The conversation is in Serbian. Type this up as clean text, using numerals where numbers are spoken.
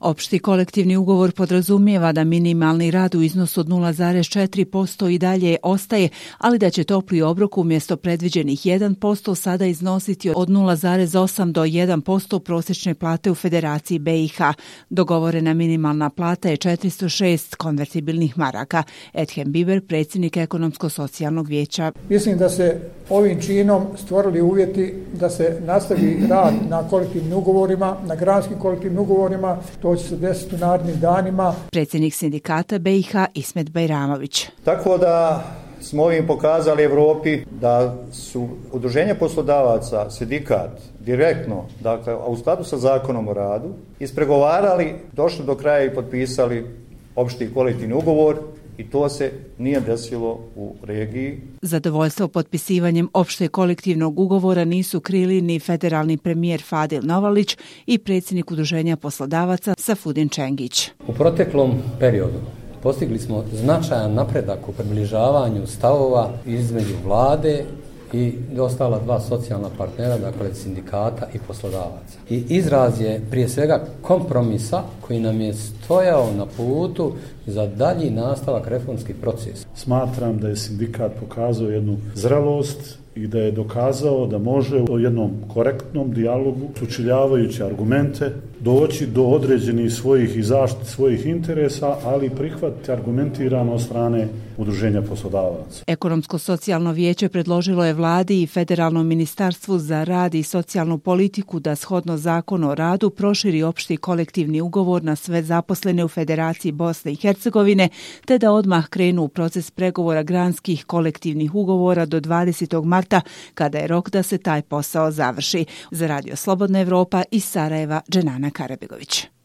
Opšti kolektivni ugovor podrazumijeva da minimalni rad u iznosu od 0,4% i dalje ostaje, ali da će topli obrok umjesto predviđenih 1% sada iznositi od 0,8 do 1% prosječne plate u Federaciji BiH. Dogovorena minimalna plata je 406 konvertibilnih maraka. Ethem Biber, predsjednik Ekonomsko-socijalnog vijeća. Mislim da se ovim činom stvorili uvjeti da se nastavi rad na kolektivnim ugovorima, na granskim kolektivnim ugovorima. To će se desiti u narednim danima. Predsjednik sindikata BiH Ismet Bajramović. Tako da smo ovim pokazali Europi da su udruženja poslodavaca, sindikat, direktno, dakle, a u skladu sa zakonom o radu, ispregovarali, došli do kraja i potpisali opšti kolektivni ugovor i to se nije desilo u regiji. Zadovoljstvo potpisivanjem opšte kolektivnog ugovora nisu krili ni federalni premijer Fadil Novalić i predsjednik udruženja poslodavaca Safudin Čengić. U proteklom periodu postigli smo značajan napredak u približavanju stavova između vlade i ostala dva socijalna partnera, dakle sindikata i poslodavaca. I izraz je prije svega kompromisa koji nam je stojao na putu za dalji nastavak reformskih procesa. Smatram da je sindikat pokazao jednu zrelost i da je dokazao da može u jednom korektnom dijalogu, sučeljavajući argumente, doći do određenih svojih i zaštite svojih interesa, ali prihvatiti argumentirano od strane udruženja poslodavaca. Ekonomsko-socijalno vijeće predložilo je vladi i Federalnom ministarstvu za rad i socijalnu politiku da shodno zakonu o radu proširi opšti kolektivni ugovor na sve zaposlene u Federaciji Bosne i Hercegovine, te da odmah krenu u proces pregovora granskih kolektivnih ugovora do 20. marta, kada je rok da se taj posao završi. Za Radio Slobodna Evropa iz Sarajeva, Dženana Karabegović.